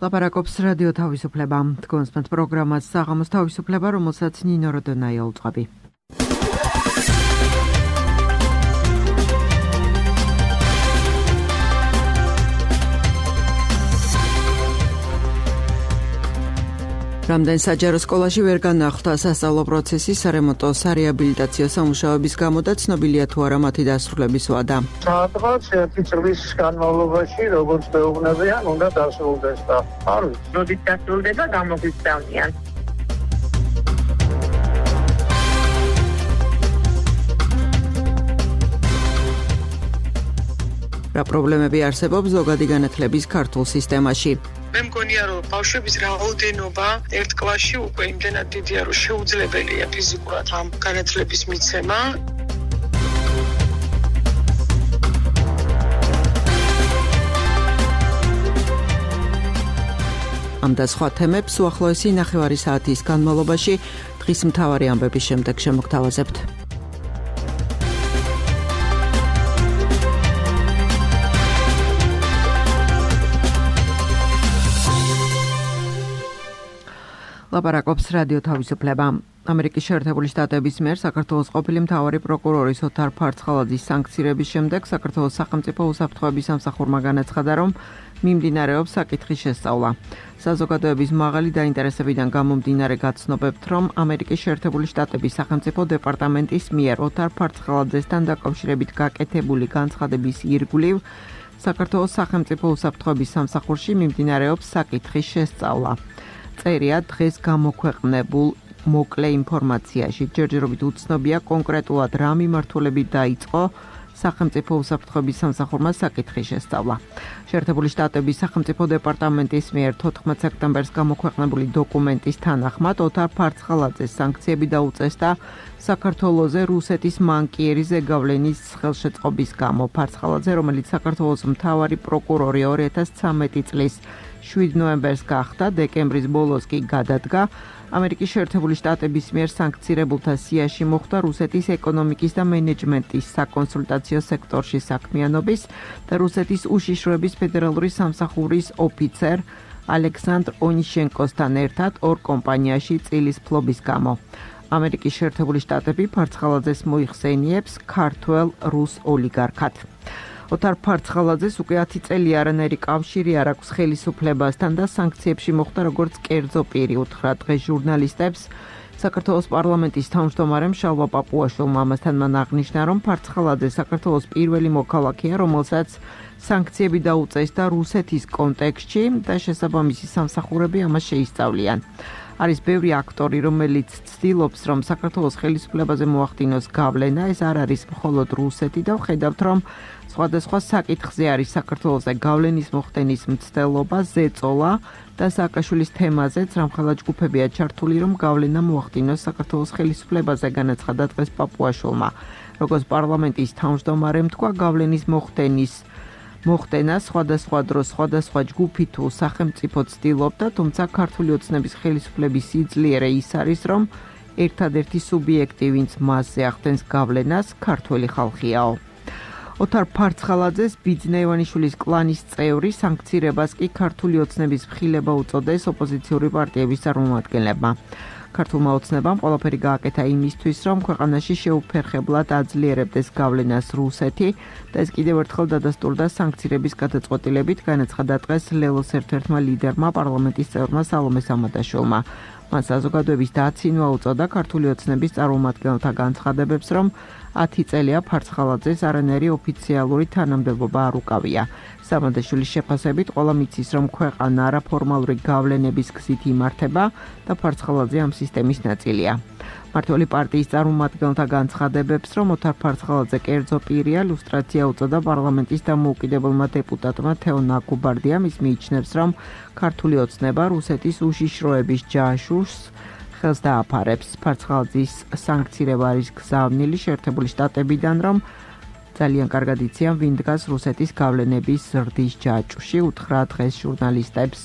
ლაპარაკობს რადიო თავისუფლება. თქვენს პროგრამას საღამოს თავისუფლება, რომელსაც ნინო როდონაია უწყობი. რამდენ საჯარო სკოლაში ვერ განახლდა სასწავლო პროცესი სარემონტო სარეაბილიტაციო სამუშაოების გამო და ცნობილია თუ არა მათი დასრულების ვადა. სადღაც 1 წლის განმავლობაში, როგორც მეუბნებიან, უნდა დასრულდეს და არ ვიცი. როდის დასრულდება, გამოგვისწავლიან. რა პრობლემები არსებობს ზოგადი განათლების ქართულ სისტემაში? მე მგონია, რომ ბავშვების რაოდენობა ერთ კლასში უკვე იმდენად დიდია, რომ შეუძლებელია ფიზიკურად ამ განათლების მიცემა. ამ და სხვა თემებს უახლოესი 9 საათის განმავლობაში დღის მთავარი ამბების შემდეგ შემოგთავაზებთ. ლაპარაკობს რადიო თავისუფლება. ამერიკის შეერთებული შტატების მიერ საქართველოს ყოფილი მთავარი პროკურორის ოთარ ფარცხალაძის სანქცირების შემდეგ საქართველოს სახელმწიფო უსაფრთხოების სამსახურმა განაცხადა, რომ მიმდინარეობს საკითხის შესწავლა. საზოგადოების მაღალი დაინტერესებიდან გამომდინარე გაცნობებთ, რომ ამერიკის შეერთებული შტატების სახელმწიფო დეპარტამენტის მიერ ოთარ ფარცხალაძესთან დაკავშირებით გაკეთებული განცხადების ირგვლივ საქართველოს სახელმწიფო უსაფრთხოების სამსახურში მიმდინარეობს საკითხის შესწავლა. წერია დღეს გამოქვეყნებულ მოკლე ინფორმაციაში. ჯერჯერობით უცნობია კონკრეტულად რა მიმართულებით დაიწყო სახელმწიფო უსაფრთხოების სამსახურმა საკითხის შესწავლა. შეერთებული შტატების სახელმწიფო დეპარტამენტის მიერ 14 სექტემბერს გამოქვეყნებული დოკუმენტის თანახმად ოთარ ფარცხალაძეს სანქციები დაუწესდა საქართველოზე რუსეთის მანკიერი ზეგავლენის ხელშეწყობის გამო. ფარცხალაძე, რომელიც საქართველოს მთავარი პროკურორი 2013 წლის 7 ნოემბერს გახდა, დეკემბრის ბოლოს კი გადადგა. ამერიკის შეერთებული შტატების მიერ სანქცირებულთა სიაში მოხვდა რუსეთის ეკონომიკის და მენეჯმენტის საკონსულტაციო სექტორში საქმიანობის და რუსეთის უშიშროების ფედერალური სამსახურის ოფიცერ ალექსანდრ ონიშენკოსთან ერთად ორ კომპანიაში წილის ფლობის გამო. ამერიკის შეერთებული შტატები ფარცხალაძეს მოიხსენიებს ქართველ რუს ოლიგარქად. ოთარ ფარცხალაძეს უკვე 10 წელი არანაირი კავშირი არ აქვს ხელისუფლებასთან და სანქციებში მოხვდა როგორც კერძო პირი. უთხრა დღეს ჟურნალისტებს საქართველოს პარლამენტის თავმჯდომარემ შალვა პაპუაშვილმა. ამასთან მან აღნიშნა, რომ ფარცხალაძე საქართველოს პირველი მოქალაქეა, რომელსაც სანქციები დაუწესდა რუსეთის კონტექსტში და შესაბამისი სამსახურები ამას შეისწავლიან. არის ბევრი აქტორი, რომელიც ცდილობს, რომ საქართველოს ხელისუფლებაზე მოახდინოს გავლენა. ეს არ არის მხოლოდ რუსეთი და ვხედავთ, რომ სხვადასხვა საკითხზე არის საქართველოს გავლენის მოხდენის მცდელობა, ზეწოლა და სააკაშვილის თემაზეც რამხელა ჯგუფებია ჩართული, რომ გავლენა მოახდინოს საქართველოს ხელისუფლებაზე, განაცხადა დღეს პაპუაშვილმა. როგორც პარლამენტის თავმჯდომარემ თქვა, გავლენის მოხდენა სხვადასხვა დროს სხვადასხვა ჯგუფი თუ სახელმწიფო ცდილობდა, თუმცა ქართული ოცნების ხელისუფლების სიძლიერე ის არის, რომ ერთადერთი სუბიექტი, ვინც მასზე ახდენს გავლენას, ქართველი ხალხიაო. ოთარ ფარცხალაძეს ბიძინა ივანიშვილის კლანის წევრი სანქცირებას კი ქართული ოცნების მხილება უწოდეს ოპოზიციური პარტიების წარმომადგენლებმა. ქართულმა ოცნებამ ყველაფერი გააკეთა იმისთვის, რომ ქვეყანაში შეუფერხებლად აძლიერებდეს გავლენას რუსეთი და ეს კიდევ ერთხელ დადასტურდა სანქცირების გადაწყვეტილებით, განაცხადა დღეს ლელოს ერთ-ერთმა ლიდერმა პარლამენტის წევრმა სალომე სამადაშვილმა. მან საზოგადოების დაცინვა უწოდა ქართული ოცნების წარმომადგენელთა განცხადებებს, რომ 10 წელია ფარცხალაძეს არანაირი ოფიციალური თანამდებობა არ უკავია. სამადაშვილის შეფასებით ყველა მიცის, რომ ქვეყანა არაფორმალური გავლენების გზით იმართება და ფარცხალაძე ამ სისტემის ნაწილია. მმართველი პარტიის წარმომადგენელთა განცხადებებს, რომ ოთარ ფარცხალაძე კერძო პირია, ლუსტრაცია უწოდა პარლამენტის დამოუკიდებელმა დეპუტატმა თეო ნაკუბარდიამ. ის მიიჩნევს, რომ ქართული ოცნება რუსეთის უშიშროების ჯაშუშს ხელს დააფარებს. ფარცხალაძის სანქცირება არის გზავნილი შეერთებული შტატებიდან, რომ ძალიან კარგად იციან, ვინ დგას რუსეთის გავლენების ზრდის ჯაჭვში, უთხრა დღეს ჟურნალისტებს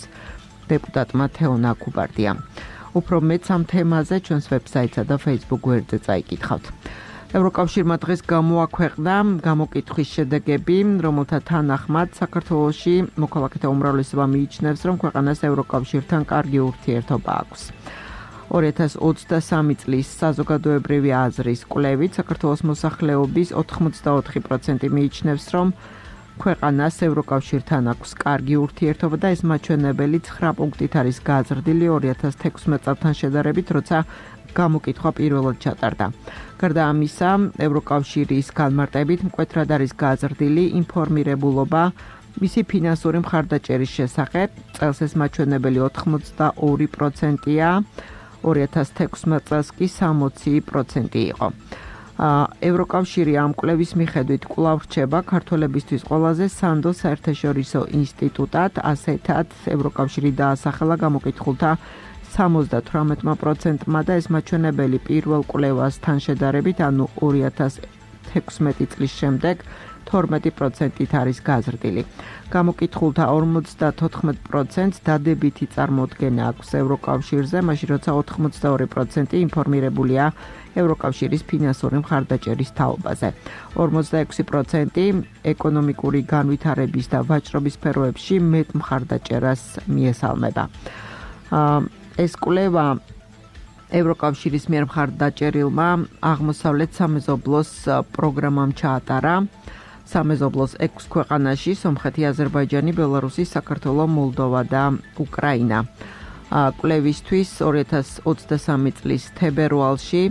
დეპუტატმა თეო ნაკუბარდიამ. უფრო მეც ამ თემაზე ჩვენს ვებსაიტსა და Facebook გვერდზე წაიკითხავთ. ევროკავშირმა დღეს გამოაქვეყნა გამოკითხვის შედეგები, რომელთა თანახმად საქართველოში მოქალაქეთა უმრავლესობა მიიჩნევს, რომ ქვეყანას ევროკავშირთან კარგი ურთიერთობა აქვს. 2023 წლის საზოგადოებრივი აზრის კვლევით საქართველოს მოსახლეობის 84% მიიჩნევს, რომ ქვეყანას ევროკავშირთან აქვს კარგი ურთიერთობა და ეს მაჩვენებელი 9 პუნქტით არის გაზრდილი 2016 წელთან შედარებით, როცა გამოკითხვა პირველად ჩატარდა. გარდა ამისა, ევროკავშირის განმარტებით მკვეთრად არის გაზრდილი ინფორმირებულობა მისი ფინანსური მხარდაჭერის შესახებ. წელს ეს მაჩვენებელი 82%-ია, 2016 წელს კი 60% იყო. ევროკავშირი ამ კვლევის მიხედვით კვლავ რჩება ქართველებისთვის ყველაზე სანდო საერთაშორისო ინსტიტუტად, ასეთად ევროკავშირი დაასახელა გამოკითხულთა 78%-მა და ეს მაჩვენებელი პირველ კვლევასთან შედარებით, ანუ 2016 წლის შემდეგ 12%-ით არის გაზრდილი. გამოკითხულთა 54%-ს დადებითი წარმოდგენა აქვს ევროკავშირზე, მაშინ როცა 82% ინფორმირებულია ევროკავშირის ფინანსური მხარდაჭერის თაობაზე. 46% ეკონომიკური განვითარების და ვაჭრობის სფეროებში მეტ მხარდაჭერას მიესალმება. ეს კვლევა ევროკავშირის მიერ მხარდაჭერილმა აღმოსავლეთ სამეზობლოს პროგრამამ ჩაატარა. სამეზობლოს 6 ქვეყანაში: სომხეთი, აზერბაიჯანი, ბელარუსი, საქართველო, მოლდოვა და უკრაინა. კვლევისთვის 2023 წლის თებერვალში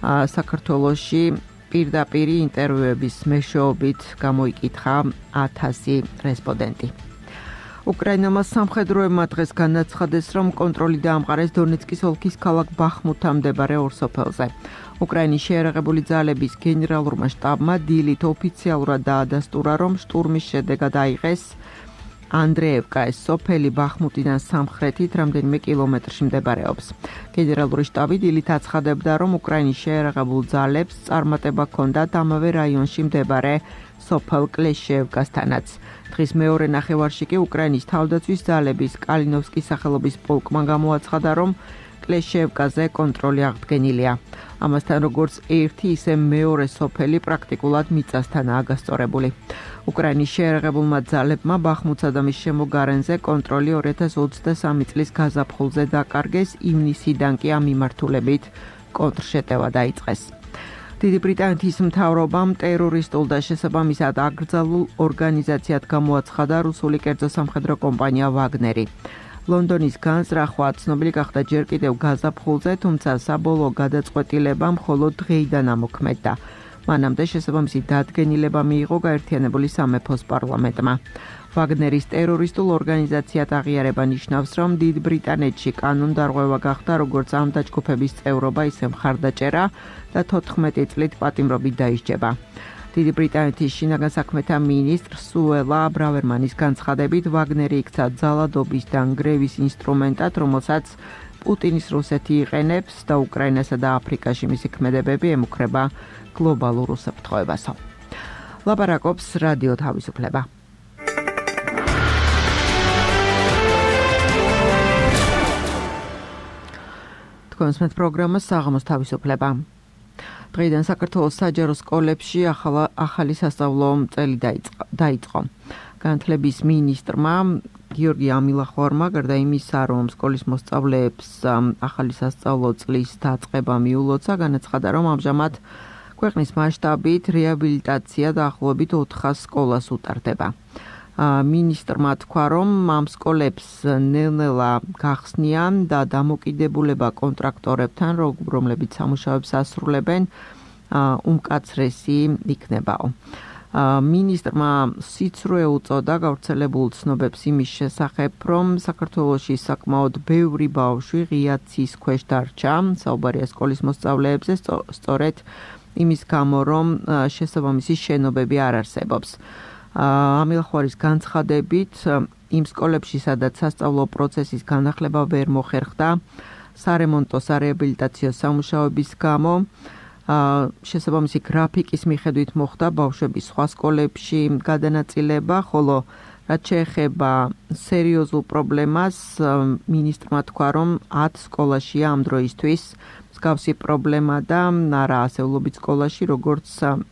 საქართველოში პირდაპირ ინტერვიუების მეშვეობით გამოიკითხა 1000 რესპონდენტი. უკრაინელმა სამხედროებმა დღეს განაცხადეს, რომ კონტროლი დაამყარეს დონეცკის ოლქის ქალაქ ბახმუთთან მდებარე ორ სოფელზე. უკრაინის შეიარაღებული ძალების გენერალურმა შტაბმა დილით ოფიციალურად დაადასტურა, რომ შტურმის შედეგად აიღეს ანდრეევკა, ეს სოფელი ბახმუტიდან სამხრეთით რამდენიმე კილომეტრში მდებარეობს. გენერალური შტაბი დილით აცხადებდა, რომ უკრაინის შეიარაღებულ ძალებს წარმატება ჰქონდათ ამავე რაიონში მდებარე სოფელ კლეშევკასთანაც. დღის მეორე ნახევარში კი უკრაინის თავდაცვის ძალების კალინოვსკის სახელობის პოლკმა გამოაცხადა, რომ კლეშევკაზე კონტროლი აღდგენილია. ამასთან როგორც ერთი, ისე მეორე სოფელი პრაქტიკულად მიწასთანაა გასწორებული. უკრაინის შეიარაღებულმა ძალებმა ბახმუთსა და მის შემოგარენზე კონტროლი 2023 წლის გაზაფხულზე დაკარგეს, ივნისიდან კი ამ მიმართულებით კონტრშეტევა დაიწყეს. დიდი ბრიტანეთის მთავრობამ ტერორისტულ და შესაბამისად აკრძალულ ორგანიზაციად გამოაცხადა რუსული კერძო სამხედრო კომპანია ვაგნერი. ლონდონის განზრახვა ცნობილი გახდა ჯერ კიდევ გაზაფხულზე, თუმცა საბოლოო გადაწყვეტილება მხოლოდ დღეიდან ამოქმედდა. მანამდე შესაბამისი დადგენილება მიიღო გაერთიანებული სამეფოს პარლამენტმა. ვაგნერის ტერორისტულ ორგანიზაციად აღიარება ნიშნავს, რომ დიდ ბრიტანეთში კანონდარღვევა გახდა როგორც ამ დაჯგუფების წევრობა, ისე მხარდაჭერა და 14 წლით პატიმრობით დაისჯება. დიდი ბრიტანეთის შინაგან საქმეთა მინისტრ სუელა ბრავერმანის განცხადებით, ვაგნერი იქცა ძალადობის და ნგრევის ინსტრუმენტად, რომელსაც პუტინის რუსეთი იყენებს და უკრაინასა და აფრიკაში მისი ქმედებები ემუქრება გლობალურ უსაფრთხოებასო. ლაპარაკობს რადიო თავისუფლება. თქვენს პროგრამა საღამოს თავისუფლება. დღეიდან საქართველოს საჯარო სკოლებში ახალი სასწავლო წელი დაიწყო. განათლების მინისტრმა გიორგი ამილახვარმა გარდა იმისა, რომ სკოლის მოსწავლეებს ახალი სასწავლო წლის დაწყება მიულოცა, განაცხადა, რომ ამჟამად ქვეყნის მასშტაბით რეაბილიტაცია დაახლოებით 400 სკოლას უტარდება. მინისტრმა თქვა, რომ ამ სკოლებს ნელ-ნელა გახსნიან და დამოკიდებულება კონტრაქტორებთან, რომლებიც სამუშაოებს ასრულებენ, უმკაცრესი იქნებაო. მინისტრმა სიცრუე უწოდა გავრცელებულ ცნობებს იმის შესახებ, რომ საქართველოში საკმაოდ ბევრი ბავშვი ღია ცის ქვეშ დარჩა, საუბარია სკოლის მოსწავლეებზე, სწორედ იმის გამო, რომ შესაბამისი შენობები არ არსებობს. ამილახვარის განცხადებით, იმ სკოლებში, სადაც სასწავლო პროცესის განახლება ვერ მოხერხდა, სარემონტო სარეაბილიტაციო სამუშაოების გამო, შესაბამისი გრაფიკის მიხედვით მოხდა ბავშვების სხვა სკოლებში გადანაწილება, ხოლო რაც შეეხება სერიოზულ პრობლემას, მინისტრმა თქვა, რომ 10 სკოლაშია ამ დროისთვის მსგავსი პრობლემა და არა ასეულობით სკოლაში, როგორც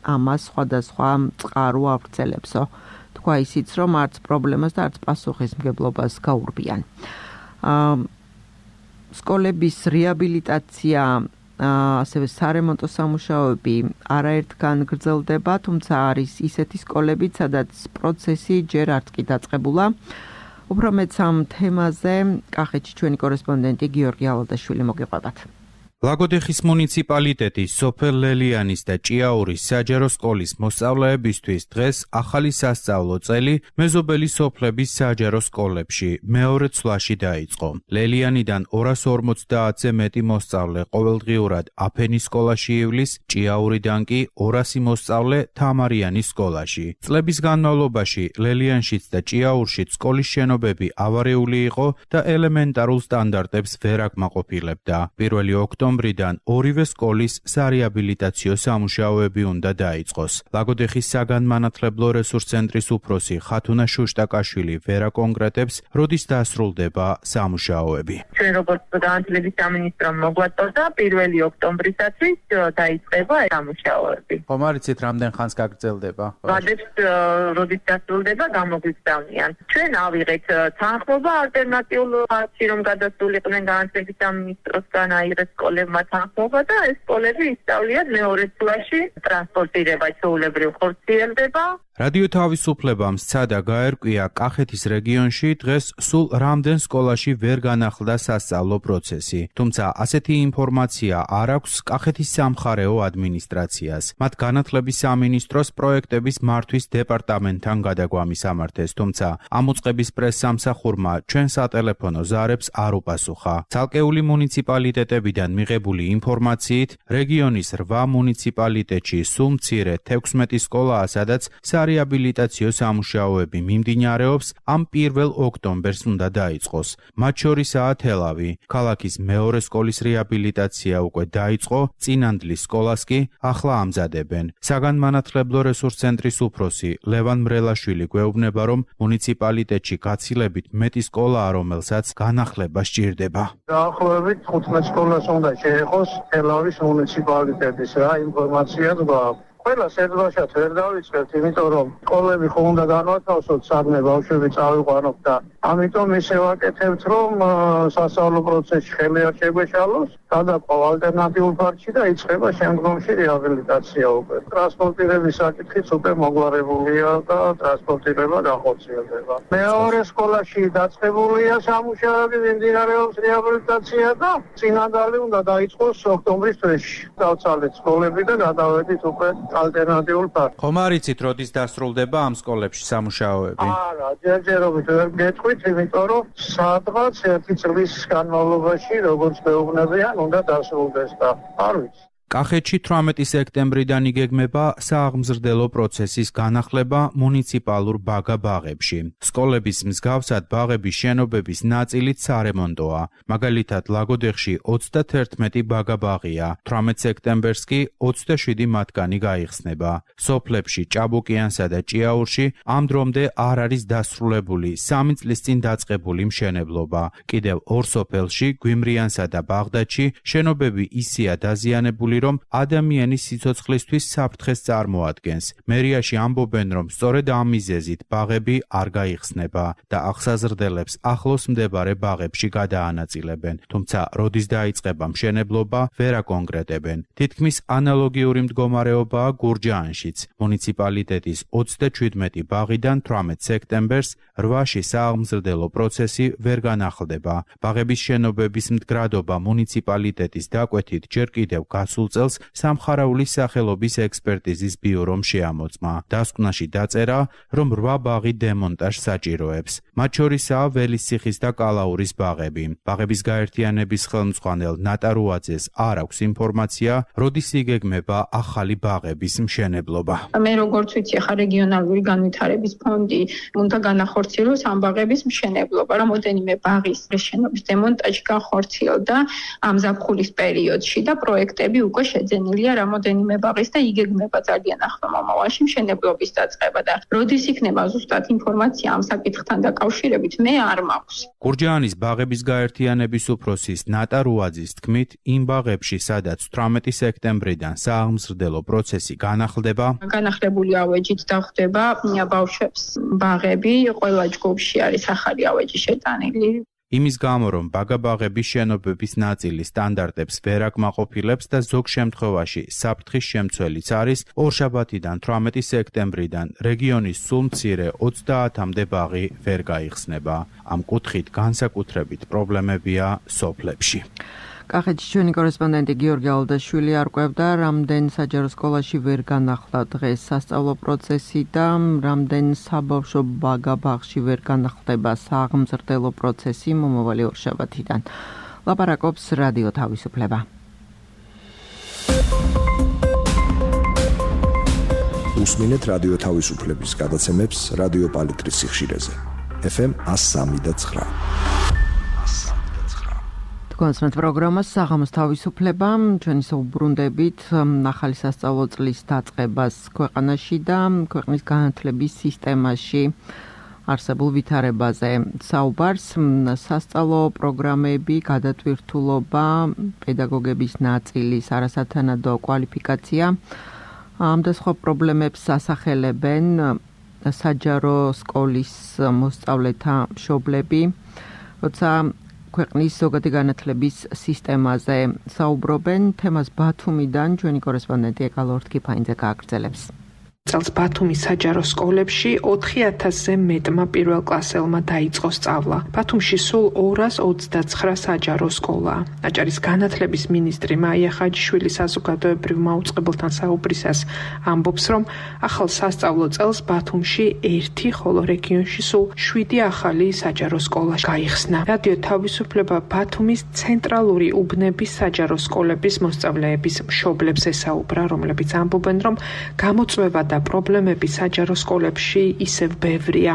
ამას სხვადასხვა წყარო ავრცელებსო. თქვა ისიც, რომ არც პრობლემას და არც პასუხისმგებლობას გაურბიან. სკოლების რეაბილიტაცია, ასევე სარემონტო სამუშაოები არაერთგან გრძელდება, თუმცა არის ისეთი სკოლებიც, სადაც პროცესი ჯერ არც კი დაწყებულა. უფრო მეტს ამ თემაზე კახეთში ჩვენი კორესპონდენტი გიორგი ალადაშვილი მოგიყვებათ. ლაგოდეხის მუნიციპალიტეტის სოფელ ლელიანის და ჭიაურის საჯარო სკოლის მოსწავლეებისთვის დღეს ახალი სასწავლო წელი მეზობელი სოფლების საჯარო სკოლებში მეორე ცვლაში დაიწყო. ლელიანიდან 250-ზე მეტი მოსწავლე ყოველდღიურად აფენის სკოლაში ივლის, ჭიაურიდან კი 200 მოსწავლე თამარიანის სკოლაში. წლების განმავლობაში ლელიანშიც და ჭიაურშიც სკოლის შენობები ავარიული იყო და ელემენტარულ სტანდარტებს ვერ აკმაყოფილებდა. 1 ოქტომბრიდან ორივე სკოლის სარეაბილიტაციო სამუშაოები უნდა დაიწყოს. ლაგოდეხის საგანმანათლებლო რესურს ცენტრის უფროსი ხათუნა შუშტაკაშვილი ვერ აკონკრეტებს, როდის დასრულდება სამუშაოები. ჩვენ როგორც განათლების სამინისტრომ მოგვაწოდა 1 ოქტომბრისათვის დაიწყება სამუშაოები. ხომ არიცით რამდენ ხანს გაგრძელდება? ვადებს როდის დასრულდება გამოგვიგზავნიან. ჩვენ ავიღეთ თანხმობა ალტერნატიულ ფაქტში, რომ გადასულიყვნენ განათლების სამინისტროსგან აიღეს სკოლებმა თანხმობა და ეს სკოლები ისწავლიან მეორე ცვლაში, ტრანსპორტირება ჩვეულებრივ ხორციელდება. რადიო თავისუფლებამ სცადა გაერკვია კახეთის რეგიონში დღეს სულ რამდენ სკოლაში ვერ განახლდა სასწავლო პროცესი. თუმცა ასეთი ინფორმაცია არ აქვს კახეთის სამხარეო ადმინისტრაციას. მათ განათლების სამინისტროს პროექტების მართვის დეპარტამენტთან გადაგვამისამართეს, თუმცა ამ უწყების პრესსამსახურმა ჩვენ სატელეფონო ზარებს არ უპასუხა. ცალკეული მუნიციპალიტეტებიდან მიღებული ინფორმაციით, რეგიონის 8 მუნიციპალიტეტში სულ მცირე 16 სკოლაა, სადაც რეაბილიტაციო სამუშაოები მიმდინარეობს, ამ 1 ოქტომბერს უნდა დაიწყოს. მათ შორისაა თელავი. ქალაქის მეორე სკოლის რეაბილიტაცია უკვე დაიწყო, წინანდლის სკოლას კი ახლა ამზადებენ. საგანმანათლებლო რესურს ცენტრის უფროსი ლევან მრელაშვილი გვეუბნება, რომ მუნიციპალიტეტში გაცილებით მეტი სკოლაა, რომელსაც განახლება სჭირდება. დაახლოებით 15 სკოლას უნდა შეეხოს თელავის მუნიციპალიტეტის რა ინფორმაციაც გვაქვს. ყველა სერდვაშად ვერ დავიწყებთ, იმიტომ რომ სკოლები ხომ უნდა განვათავსოთ, საგნე ბავშვები წავიყვანოთ და ამიტომ ისე ვაკეთებთ, რომ სასწავლო პროცესში ხელი არ შეგვეშალოს, გადაყვა ალტერნატიულ ფაქტში და იწყება შემდგომში რეაბილიტაცია უკვე. ტრანსპორტირების საკითხიც უკვე მოგვარებულია და ტრანსპორტირება განხორციელდება. მეორე სკოლაში დაწყებულია სამუშაოები, მიმდინარეობს რეაბილიტაცია და წინანდალი უნდა დაიწყოს ოქტომბრის თვეში. დავცალეთ სკოლები და გადავედით უკვე ალტერნატიულ ფაქტს. ხომ არიცით, როდის დასრულდება ამ სკოლებში სამუშაოები? არა, ჯერჯერობით ვერ გეტყვით, იმიტომ რომ სადღაც 1 წლის განმავლობაში, როგორც მეუბნებიან, უნდა დასრულდეს და არ ვიცი. კახეთში 18 სექტემბრიდან იგეგმება სააღმზრდელო პროცესის განახლება მუნიციპალურ ბაგა-ბაღებში. სკოლების მსგავსად ბაღების შენობების ნაწილით სარემონტოა. მაგალითად, ლაგოდეხში 31 ბაგა-ბაღია, 18 სექტემბერს კი 27 მათგანი გაიხსნება. სოფლებში ჭაბუკიანსა და ჭიაურში ამ დრომდე არ არის დასრულებული 3 წლის წინ დაწყებული მშენებლობა. კიდევ 2 სოფელში, გვიმრიანსა და ბაღდადში, შენობები ისეა დაზიანებული, რომ ადამიანის სიცოცხლისთვის საფრთხეს წარმოადგენს. მერიაში ამბობენ, რომ სწორედ ამ მიზეზით ბაღები არ გაიხსნება და აღსაზრდელებს ახლოს მდებარე ბაღებში გადაანაწილებენ. თუმცა, როდის დაიწყება მშენებლობა, ვერ აკონკრეტებენ. თითქმის ანალოგიური მდგომარეობაა გურჯაანშიც. მუნიციპალიტეტის 37 ბაღიდან 18 სექტემბერს 8-ში სააღმზრდელო პროცესი ვერ განახლდება. ბაღების შენობების მდგრადობა მუნიციპალიტეტის დაკვეთით ჯერ კიდევ გასულ წელს სამხარაულის სახელობის ექსპერტიზის ბიურომ შეამოწმა. დასკვნაში დაწერა, რომ 8 ბაღი დემონტაჟს საჭიროებს. მათ შორისაა ველისციხის და კალაურის ბაღები. ბაღების გაერთიანების ხელმძღვანელ ნატარუაძეს არ აქვს ინფორმაცია, როდის იგეგმება ახალი ბაღების მშენებლობა. მე როგორც ვიცი, ხა რეგიონალური განვითარების ფონდი უნდა განახორციელოს ამ ბაღების მშენებლობა. რამოდენიმე ბაღის შენობის დემონტაჟი განხორციელდა ამ ზაფხულის პერიოდში და პროექტები უკვე შეძენილია რამოდენიმე ბაღის და იგეგმება ძალიან ახლო მომავალში მშენებლობის დაწყება და როდის იქნება ზუსტად ინფორმაცია ამ საკითხთან დაკავშირებით მე არ მაქვს. გურჯაანის ბაღების გაერთიანების უფროსის ნატა რუაძის თქმით, იმ ბაღებში, სადაც 18 სექტემბრიდან სააღმზრდელო პროცესი განახლდება, განახლებული ავეჯით დახვდება ბავშვებს ბაღები, ყველა ჯგუფში არის ახალი ავეჯი შეტანილი. იმის გამო, რომ ბაგაბაღების შენობების ნაწილი სტანდარტებს ვერ აკმაყოფილებს და ზოგ შემთხვევაში საფრთხის შემცველიც არის, ორშაბათიდან 18 სექტემბრიდან რეგიონის სულ მცირე 30-მდე ბაღი ვერ გაიხსნება. ამ კუთხით განსაკუთრებით პრობლემებია სოფლებში. კახეთში ჩვენი კორესპონდენტი გიორგი ალდაშვილი არკვევდა, რამდენ საჯარო სკოლაში ვერ განახლა დღეს სასწავლო პროცესი და რამდენ საბავშვო ბაგაბაღში ვერ განახლდება სააღმზრდელო პროცესი მომავალი ორშაბათიდან. ლაპარაკობს რადიო თავისუფლება. უსმინეთ რადიო თავისუფლების გადაცემებს რადიო პალიტრის სიხშირეზე. FM 103.9. კონსმეთ პროგრამას საღამოს თავისუფლება, ჩვენი საუბრუნდებით ახალი სასწავლო წლის დაწყებას ქვეყანაში და ქვეყნის განათლების სისტემაში არსებულ ვითარებაზე. საუბარს სასწავლო პროგრამები, გადატვირთულობა, პედაგოგების ნაწილის არასათანადო კვალიფიკაცია ამ და სხვა პრობლემებს ასახელებენ საჯარო სკოლის მოსწავლეთა მშობლები, როცა ქვეყნის ზოგადი განათლების სისტემაზე საუბრობენ. თემას ბათუმიდან ჩვენი კორესპონდენტი ეკალორთ კიფაინძე გააგრძელებს. წელს ბათუმის საჯარო სკოლებში 4000-ზე მეტმა პირველ კლასელმა დაიწყო სწავლა. ბათუმში სულ 229 საჯარო სკოლაა. აჭარის განათლების მინისტრი მაია ხაჯიშვილი საზოგადოებრივ მაუწყებელთან საუბრისას ამბობს, რომ ახალ სასწავლო წელს ბათუმში 1, ხოლო რეგიონში სულ 7 ახალი საჯარო სკოლა გაიხსნა. რადიო თავისუფლება ბათუმის ცენტრალური უბნების საჯარო სკოლების მოსწავლეების მშობლებს ესაუბრა, რომლებიც ამბობენ, რომ გამოწვევა და პრობლემები საჯარო სკოლებში ისევ ბევრია.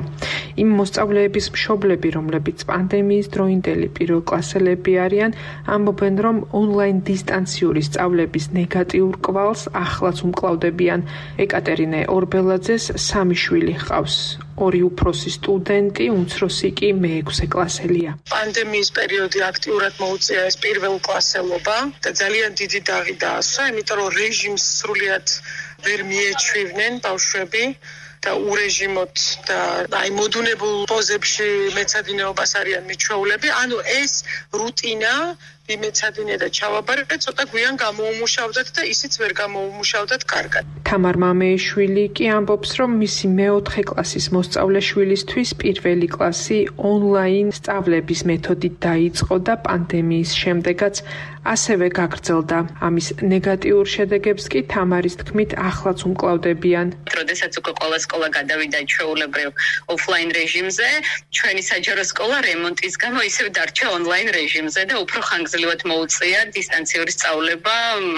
იმ მოსწავლეების მშობლები, რომლებიც პანდემიის დროინდელი პირველკლასელები არიან, ამბობენ, რომ ონლაინ დისტანციური სწავლების ნეგატიურ კვალს ახლაც უმკლავდებიან. ეკატერინე ორბელაძეს 3 შვილი ჰყავს. 2 უფროსი სტუდენტი, უმცროსი კი მე-6 კლასელია. პანდემიის პერიოდი აქტიურად მოუწია ეს პირველკლასელობა და ძალიან დიდი დაღი დაასვა, იმიტომ რომ რეჟიმს სრულიად ვერ მიეჩვივნენ ბავშვები და ურეჟიმოთ და აი მოდუნებულ პოზებში მეცადინეობას არიან მიჩვეულები. ანუ ეს რუტინა იმეცადინე და ჩავაბარეთ ცოტა გვიან გამოუმუშავდათ და ისიც ვერ გამოუმუშავდათ კარგად. თამარ მამეიშვილი კი ამბობს, რომ მისი მე-4 კლასის მოსწავლე შვილისთვის პირველი კლასი ონლაინ სწავლების მეთოდით დაიწყო და პანდემიის შემდეგაც ასევე გაგრძელდა. ამის ნეგატიურ შედეგებს კი თამარის თქმით ახლაც უმკლავდებიან. როდესაც უკვე ყველა სკოლა გადავიდა ჩვეულებრივ ოფლაინ რეჟიმზე, ჩვენი საჯარო სკოლა რემონტის გამო ისევ დარჩა ონლაინ რეჟიმზე და უფრო ხანგრძლივად მოუწია დისტანციური სწავლება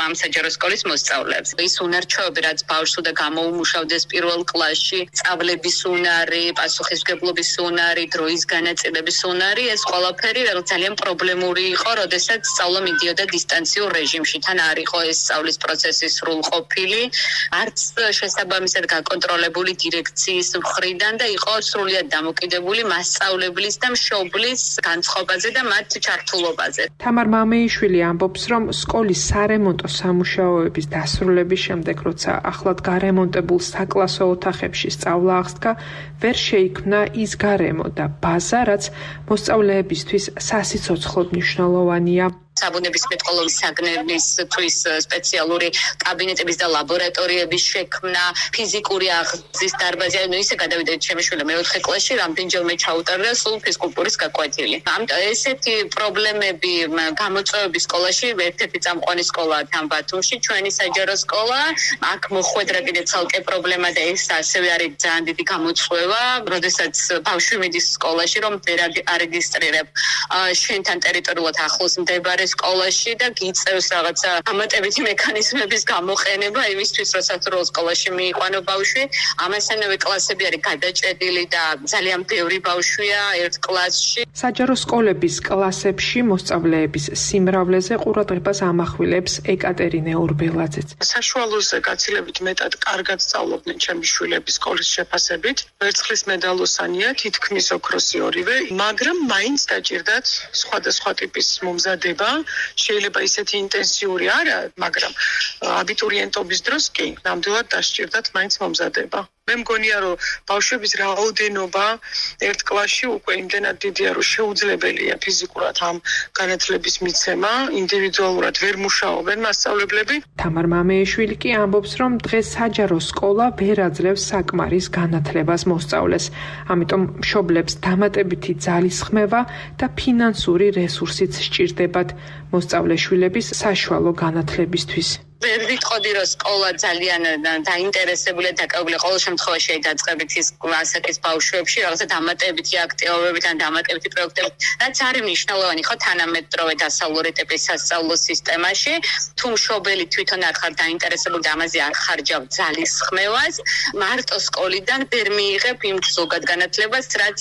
ამ საჯარო სკოლის მოსწავლეებს. ის უნარჩვევები, რაც ბავშვს უნდა გამოუმუშავდეს პირველ კლასში, სწავლების უნარი, პასუხისმგებლობის უნარი, დროის განაწილების უნარი, ეს ყველაფერი ძალიან პრობლემური იყო, როდესაც სწავლა მიდიოდა დისტანციურ რეჟიმში. თან არ იყო ეს სწავლის პროცესი სრულყოფილი, არც შესაბამისად გაკონტროლებული დირექციის მხრიდან და იყო სრულიად დამოკიდებული მასწავლებლის და მშობლის განწყობაზე და მათ ჩართულობაზე. თამარ მამეიშვილი ამბობს, რომ სკოლის სარემონტო სამუშაოების დასრულების შემდეგ, როცა ახლად გარემონტებულ საკლასო ოთახებში სწავლა აღსდგა, ვერ შეიქმნა ის გარემო და ბაზა, რაც მოსწავლეებისთვის სასიცოცხლოდ მნიშვნელოვანია. საბუნების მეტყველების საგნებისთვის სპეციალური კაბინეტების და ლაბორატორიების შექმნა, ფიზიკური აღზრდის დარბაზი, ანუ ისე გადავიდეთ ჩემი შვილმა მე-4 კლასში, რამდენჯერმე ჩაუტარდა სულ ფიზკულტურის გაკვეთილი. ამიტომ ესეთი პრობლემები გამოწვევები სკოლაში, ერთ-ერთი წამყვანი სკოლაა თან ბათუმში, ჩვენი საჯარო სკოლა, აქ მოხვედრა კიდე ცალკე პრობლემა და ეს ასევე არის ძალიან დიდი გამოწვევა, როდესაც ბავშვი მიდის სკოლაში, რომ ვერ არეგისტრირებ შენთან ტერიტორიულად ახლოს მდებარე სკოლაში და გიწევს რაღაცა ამატებითი მექანიზმების გამოყენება იმისთვის, როცა როლ სკოლაში მიიყვანო ბავშვი. ამასთანავე კლასები არის გადაჭედილი და ძალიან ბევრი ბავშვია ერთ კლასში. საჯარო სკოლების კლასებში მოსწავლეების სიმრავლეზე ყურადღებას ამახვილებს ეკატერინე ორბელაძეც. საშუალოზე გაცილებით მეტად კარგად სწავლობდნენ ჩემი შვილები სკოლის შეფასებით. ვერცხლის მედალოსანია, თითქმის ოქროსი ორივე, მაგრამ მაინც დაჭირდათ სხვადასხვა ტიპის მომზადება. შეიძლება ისეთი ინტენსიური არა, მაგრამ აბიტურიენტობის დროს კი, ნამდვილად დასჭირდათ მაინც მომზადება. მე მგონია, რომ ბავშვების რაოდენობა ერთ კლასში უკვე იმდენად დიდია, რომ შეუძლებელია ფიზიკურად ამ განათლების მიცემა, ინდივიდუალურად ვერ მუშაობენ მასწავლებლები. თამარ მამეიშვილი კი ამბობს, რომ დღეს საჯარო სკოლა ვერ აძლევს საკმარის განათლებას მოსწავლეს. ამიტომ მშობლებს დამატებითი ძალის ხმევა და ფინანსური რესურსიც სჭირდებათ მოსწავლე შვილების საშუალო განათლებისთვის. ვერ ვიტყოდი, რომ სკოლა ძალიან დაინტერესებულია და დაკავებული ყოველ შემთხვევაში დაწყებით ის ასაკის ბავშვებში რაღაცა დამატებითი აქტივობებით ან დამატებითი პროექტებით, რაც არის მნიშვნელოვანი ხო თანამედროვე დასავლური ტიპის სასწავლო სისტემაში. თუ მშობელი თვითონ არ ხარ დაინტერესებული და ამაზე არ ხარჯავ ძალის ხმევას, მარტო სკოლიდან ვერ მიიღებ იმ ზოგად განათლებას, რაც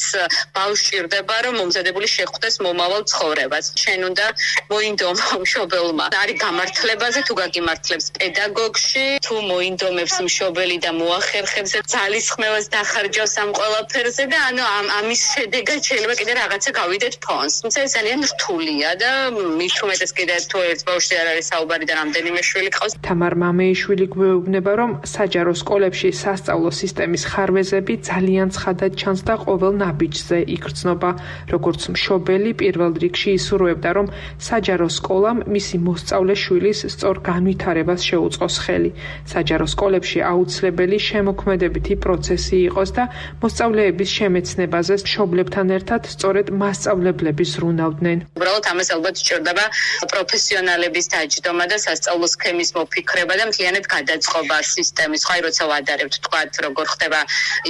ბავშვს სჭირდება, რომ მომზადებული შეხვდეს მომავალ ცხოვრებას. შენ უნდა მოინდომო მშობელმა. არის გამართლებაზე თუ გაგიმართლებს პედაგოგში, თუ მოინდომებს მშობელი და მოახერხებს ძალის ხმევას დახარჯავს ამ ყველაფერზე და ანუ ამის შედეგად შეიძლება კიდე რაღაცა გავიდეთ ფონს. თუმცა ეს ძალიან რთულია და მით უმეტეს კიდე თუ ერთ ბავშვზე არ არის საუბარი და რამდენიმე შვილი ყავს. თამარ მამეიშვილი გვეუბნება, რომ საჯარო სკოლებში სასწავლო სისტემის ხარვეზები ძალიან ცხადად ჩანს და ყოველ ნაბიჯზე იგრძნობა. როგორც მშობელი პირველ რიგში ისურვებდა, რომ საჯარო სკოლამ მისი მოსწავლე შვილის სწორ განვითარებას შეუწყოს ხელი. საჯარო სკოლებში აუცილებელი შემოქმედებითი პროცესი იყოს და მოსწავლეების შემეცნებაზე მშობლებთან ერთად სწორედ მასწავლებლები ზრუნავდნენ. უბრალოდ ამას ალბათ სჭირდება პროფესიონალების დაჯდომა და სასწავლო სქემის მოფიქრება და მთლიანად გადაწყობა სისტემის. ხაი როცა ვადარებთ, თქვათ, როგორ ხდება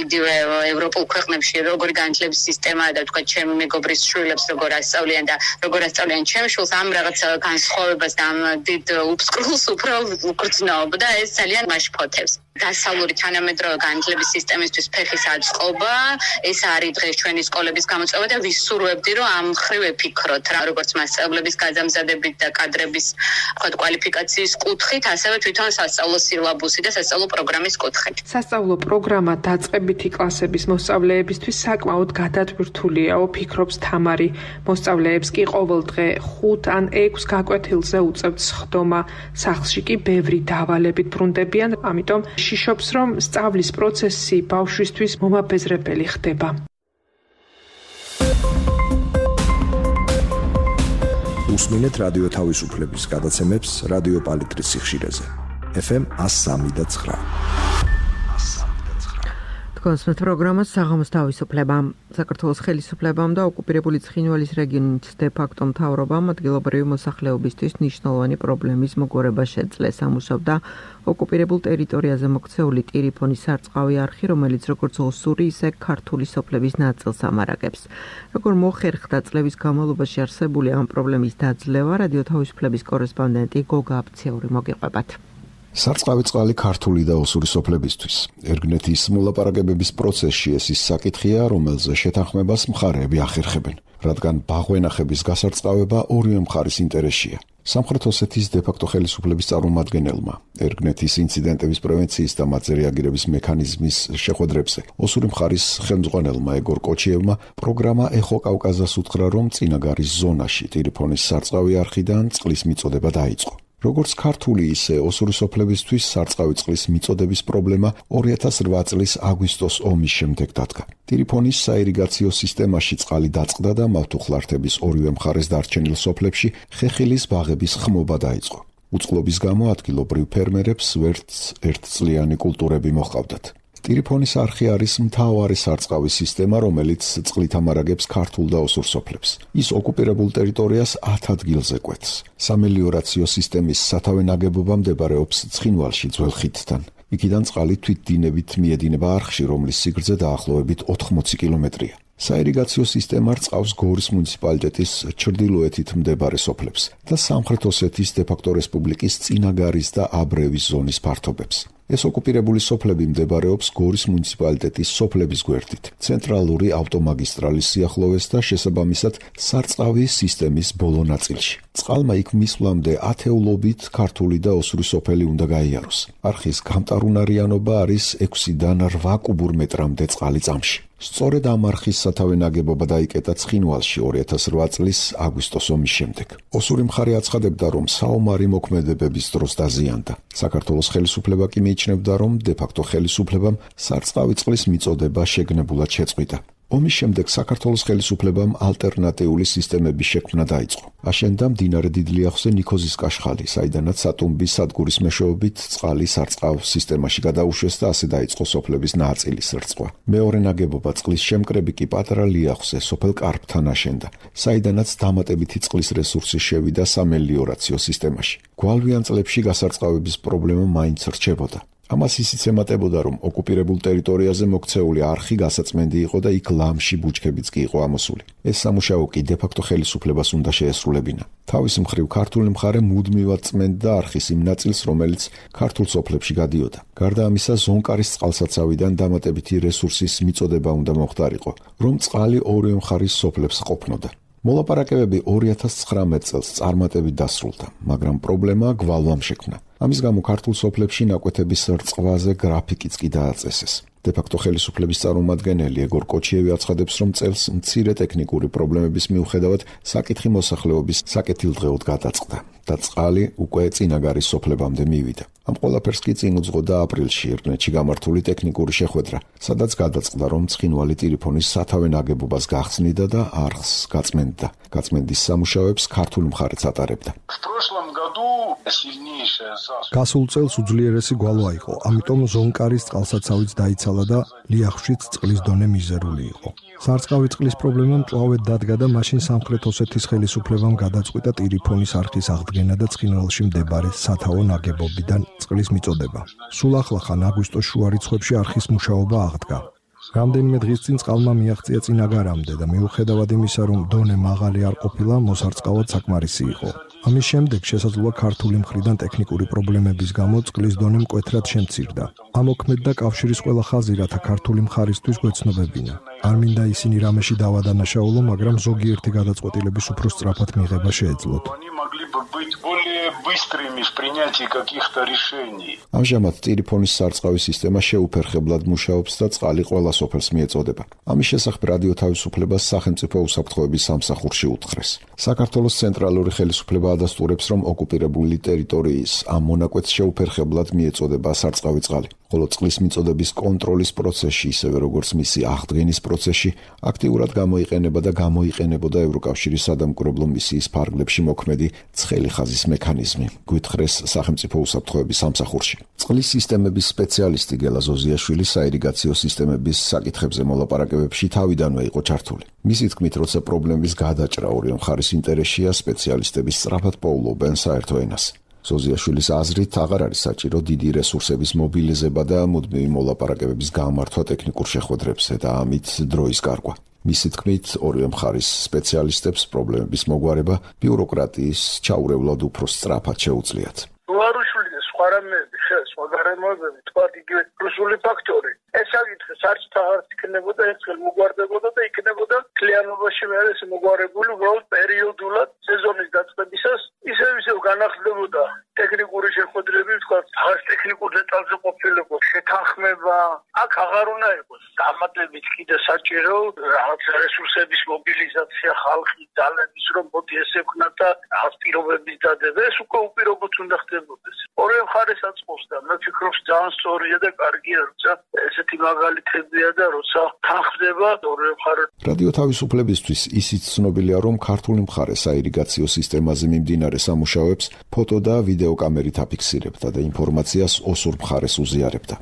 იგივე ევროპულ ქვეყნებში როგორი განათლების სისტემაა და თქვათ ჩემი მეგობრის შვილებს როგორ ასწავლიან და როგორ ასწავლიან ჩემ შვილს, ამ რაღაც განსხვავებას და ამ დიდ უბსკრულს უფრო უგრძნობა და ეს ძალიან მაშფოთებს. დასავლური თანამედროვე განათლების სისტემისთვის ფეხის აწყობა, ეს არის დღეს ჩვენი სკოლების გამოწვევა და ვისურვებდი, რომ ამ მხრივ ეფიქროთ, როგორც მასწავლებლების გაზამზადებით და კადრების კვალიფიკაციის კუთხით, ასევე თვითონ სასწავლო სილაბუსი და სასწავლო პროგრამის კუთხით. სასწავლო პროგრამა დაწყებითი კლასების მოსწავლეებისთვის საკმაოდ გადატვირთულიაო, ფიქრობს თამარი. მოსწავლეებს კი ყოველ დღე 5 ან 6 გაკვეთილზე უწევთ სხდომა. სახლში კი ბევრი დავალებით ბრუნდებიან, ამიტომ შიშობს, რომ სწავლის პროცესი ბავშვისთვის მომაბეზრებელი ხდება. უსმინეთ რადიო თავისუფლების გადაცემებს რადიო პალიტრის სიხშირეზე. FM 103.9. კონსმეთ პროგრამას საღამოს თავისუფლება. საქართველოს ხელისუფლებამ და ოკუპირებული ცხინვალის რეგიონის დე-ფაქტო მთავრობამ ადგილობრივი მოსახლეობისთვის ნიშნულოვანი პრობლემის მოგვარება შეძლეს. ამუშავდა ოკუპირებულ ტერიტორიაზე მოქცეული ტირიფონის სარწყავი არხი, რომელიც როგორც ოსური, ისე ქართული სოფლების ნაწილს ამარაგებს. როგორ მოხერხდა წლების განმავლობაში არსებული ამ პრობლემის დაძლევა, რადიო თავისუფლების კორესპონდენტი გოგა აფციური მოგიყვებათ. სარწყავი წყალი ქართული და ოსური სოფლებისთვის. ერგნეთის მოლაპარაკებების პროცესში ეს ის საკითხია, რომელზე შეთანხმებას მხარეები ახერხებენ, რადგან ბაღვენახების გასარწყავება ორივე მხარის ინტერესია. სამხრეთ ოსეთის დე-ფაქტო ხელისუფლების წარმომადგენელმა ერგნეთის ინციდენტების პრევენციის და მათზე რეაგირების მექანიზმის შეხვედრებზე ოსური მხარის ხელმძღვანელმა ეგორ კოჩიევმა პროგრამა ეხო კავკაზას უთხრა, რომ წინაგარის ზონაში ტირიფონის სარწყავი არხიდან წყლის მიწოდება დაიწყო. როგორც ქართული, ისე ოსური სოფლებისთვის სარწყავი წყლის მიწოდების პრობლემა 2008 წლის აგვისტოს ომის შემდეგ დადგა. ტირიფონის საირიგაციო სისტემაში წყალი დაწყდა და მავთუხლართების ორივე მხარეს დარჩენილ სოფლებში ხეხილის ბაღების ხმობა დაიწყო. უწყლობის გამო ადგილობრივ ფერმერებს ვერც ერთწლიანი კულტურები მოჰყავდათ. ტირიფონის არხი არის მთავარი სარწყავის სისტემა, რომელიც წყლით ამარაგებს ქართულ და ოსურ სოფლებს. ის ოკუპირებულ ტერიტორიას 10 ადგილზე კვეთს. სამელიორაციო სისტემის სათავე ნაგებობა მდებარეობს ცხინვალში ძველ ხიდთან. იქიდან წყალი თვითდინებით მიედინება არხში, რომლის სიგრძე დაახლოებით 80 კილომეტრია. საირიგაციო სისტემა რწყავს გორის მუნიციპალიტეტის ჩრდილოეთით მდებარე სოფლებს და სამხრეთ ოსეთის დე-ფაქტო რესპუბლიკის წინაგარის და აბრევის ზონის ფართობებს. ეს ოკუპირებული სოფლები მდებარეობს გორის მუნიციპალიტეტის სოფლების გვერდით, ცენტრალური ავტომაგისტრალის სიახლოვეს და შესაბამისად სარწყავი სისტემის ბოლო ნაწილში. წყალმა იქ მისვლამდე ათეულობით ქართული და ოსური სოფელი უნდა გაიაროს. არხის გამტარუნარიანობა არის 6-დან 8 კუბურ მეტრამდე წყალი წამში. სწორედ ამ არხის სათავე ნაგებობა დაიკეტა ცხინვალში 2008 წლის აგვისტოს ომის შემდეგ. ოსური მხარე აცხადებდა, რომ საომარი მოქმედებების დროს დაზიანდა. საქართველოს ხელისუფლება კი მიიჩნევდა, რომ დე-ფაქტო ხელისუფლებამ სარწყავი წყლის მიწოდება შეგნებულად შეწყვიტა. ომის შემდეგ საქართველოს ხელისუფლებამ ალტერნატიული სისტემების შექმნა დაიწყო. აშენდა მდინარე დიდლიახზე ნიქოზის კაშხალი, საიდანაც სატუმბის სადგურის მეშვეობით წყალი სარწყავ სისტემაში გადაუშვეს და ასე დაიწყო სოფლების ნაწილის რწყვა. მეორე ნაგებობა წყლის შემკრები კი პატარა ლიახზე, სოფელ კარფთან აშენდა, საიდანაც დამატებითი წყლის რესურსი შევიდა სამელიორაციო სისტემაში. გვალვიან წლებში გასარწყავების პრობლემა მაინც რჩებოდა. ამას ისიც ემატებოდა, რომ ოკუპირებულ ტერიტორიაზე მოქცეული არხი გასაწმენდი იყო და იქ ლამში ბუჩქებიც კი იყო ამოსული. ეს სამუშაო კი დე-ფაქტო ხელისუფლებას უნდა შეესრულებინა. თავის მხრივ ქართული მხარე მუდმივად წმენდა არხის იმ ნაწილს, რომელიც ქართულ სოფლებში გადიოდა. გარდა ამისა, ზონკარის წყალსაცავიდან დამატებითი რესურსის მიწოდება უნდა მოხდარიყო, რომ წყალი ორივე მხარის სოფლებს ყოფნოდა. მოლაპარაკებები 2019 წელს წარმატებით დასრულდა, მაგრამ პრობლემა გვალვამ შექმნა. ამის გამო ქართულ სოფლებში ნაკვეთების რწყვაზე გრაფიკიც კი დააწესეს. დე-ფაქტო ხელისუფლების წარმომადგენელი ეგორ კოჩიევი აცხადებს, რომ წელს მცირე ტექნიკური პრობლემების მიუხედავად საკითხი მოსახლეობის საკეთილდღეოდ გადაწყდა და წყალი უკვე წინაგარის სოფლებამდე მივიდა. ამ ყველაფერს კი წინ უძღოდა აპრილში ერნეთში გამართული ტექნიკური შეხვედრა, სადაც გადაწყდა, რომ ცხინვალი ტირიფონის სათავე ნაგებობას გახსნიდა და არხს გაწმენდა. გაწმენდის სამუშაოებს ქართული მხარეც ატარებდა. გასულ წელს უძლიერესი გვალვა იყო, ამიტომ ზონკარის წყალსაცავიც დაიცალა და ლიახშიც წყლის დონე მიზერული იყო. სარწყავი წყლის პრობლემა მწვავედ დადგა და მაშინ სამხრეთ ოსეთის ხელისუფლებამ გადაწყვიტა ტირიფონის არხის აღდგენა და ცხინვალში მდებარე სათავო ნაგებობიდან წყლის მიწოდება. სულ ახლახან აგვისტოს შუა რიცხვებში არხის მუშაობა აღდგა. რამდენიმე დღის წინ წყალმა მიაღწია წინაგარამდე და მიუხედავად იმისა, რომ დონე მაღალი არ ყოფილა, მოსარწყავად საკმარისი იყო. ამის შემდეგ შესაძლოა ქართული მხრიდან ტექნიკური პრობლემების გამო წყლის დონე მკვეთრად შემცირდა. ამოქმედდა კავშირის ყველა ხაზი, რათა ქართული მხარისთვის გვეცნობებინა. არ მინდა ისინი რამეში დავადანაშაულო, მაგრამ ზოგიერთი გადაწყვეტილების უფრო სწრაფად მიღება შეეძლოთ. ამჟამად ტირიფონის სარწყავი სისტემა შეუფერხებლად მუშაობს და წყალი ყველა სოფელს მიეწოდება. ამის შესახებ რადიო თავისუფლებას სახელმწიფო უსაფრთხოების სამსახურში უთხრეს. საქართველოს ცენტრალური ხელისუფლება ადასტურებს, რომ ოკუპირებული ტერიტორიის ამ მონაკვეთს შეუფერხებლად მიეწოდება სარწყავი წყალი, ხოლო წყლის მიწოდების კონტროლის პროცესში, ისევე როგორც მისი აღდგენის პროცესში, აქტიურად გამოიყენება და გამოიყენებოდა ევროკავშირის სადამკვირვებლო მისიის ფარგლებში მოქმედი ცხელი ხაზის მექანიზმი, გვითხრეს სახელმწიფო უსაფრთხოების სამსახურში. წყლის სისტემების სპეციალისტი გელა ზოზიაშვილი საირიგაციო სისტემების საკითხებზე მოლაპარაკებებში თავიდანვე იყო ჩართული. მისი თქმით, როცა პრობლემის გადაჭრა ორივე მხარის ინტერესშია, სპეციალისტები სწრაფად პოულობენ საერთო ენას. ზოზიაშვილის აზრით, აღარ არის საჭირო დიდი რესურსების მობილიზება და მუდმივი მოლაპარაკებების გამართვა ტექნიკურ შეხვედრებზე და ამით დროის გარყვა. მისი თქმით, ორივე მხარის სპეციალისტებს პრობლემების მოგვარება ბიუროკრატიის ჩაურევლად უფრო სწრაფად შეუძლიათ. თქვათ იგივე რუსული ფაქტორი. ეს საკითხი საერთოდ არ იქნებოდა, ერთხელ მოგვარდებოდა და იქნებოდა კლიენტობაში მე ეს მოგვარებული უბრალოდ პერიოდულად სეზონის დაწყებისას ისევ განახლდებოდა ტექნიკური შეხვედრები, თქვათ, ახალ ტექნიკურ დეტალზე ყოფილიყო შეთანხმება. აქ აღარ უნდა იყოს დამატებით კიდე საჭირო რაღაც რესურსების მობილიზაცია, ხალხის ძალების რომ მოდი ესე ვქნათ და რაღაც პირობების დადება. ეს უკვე უპირობოდ უნდა ხდებოდეს. ორივე მხარეს აწყობს და მე ვფიქრობ, ძალიან სწორია და კარგია, როცა ესეთი მაგალითებია და როცა თანხდება ორივე მხარე. რადიო თავისუფლებისთვის ისიც ცნობილია, რომ ქართული მხარე საირიგაციო სისტემაზე მიმდინარე სამუშაოებს ფოტო და ვიდეო კამერით აფიქსირებდა და ინფორმაციას ოსურ მხარეს უზიარებდა.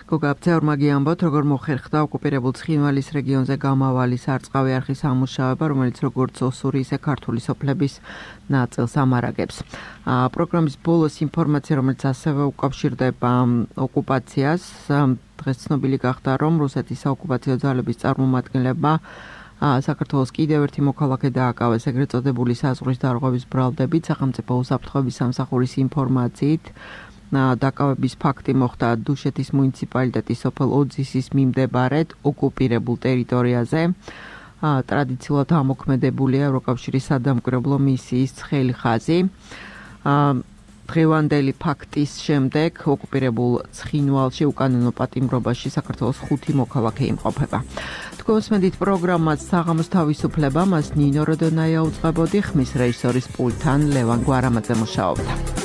გოგა ბძევრმაგი ამბობთ, როგორ მოხერხდა ოკუპირებულ ცხინვალის რეგიონზე გამავალი სარწყავი არხის ამუშავება, რომელიც როგორც ოსური, ისე ქართული სოფლების ნაწილს ამარაგებს. პროგრამის ბოლოს ინფორმაცია, რომელიც ასევე უკავშირდება ოკუპაციას, დღეს ცნობილი გახდა, რომ რუსეთის საოკუპაციო ძალების წარმომადგენლებმა საქართველოს კიდევ ერთი მოქალაქე დააკავეს, ეგრეთ წოდებული საზღვრის დარღვევის ბრალდებით, სახელმწიფო უსაფრთხოების სამსახურის ინფორმაციით. დაკავების ფაქტი მოხდა დუშეთის მუნიციპალიტეტის სოფელ ოძისის მიმდებარედ ოკუპირებულ ტერიტორიაზე. ტრადიციულად ამოქმედებულია ევროკავშირის სადამკვირვებლო მისიის ცხელი ხაზი. დღევანდელი ფაქტის შემდეგ ოკუპირებულ ცხინვალში უკანონო პატიმრობაში საქართველოს 5 მოქალაქე იმყოფება. თქვენსმენდით პროგრამას საღამოს თავისუფლება, მას ნინო როდონაია უწყებოდი, ხმის რეჟისორის პულტთან ლევან გვარამაძე მუშაობდა.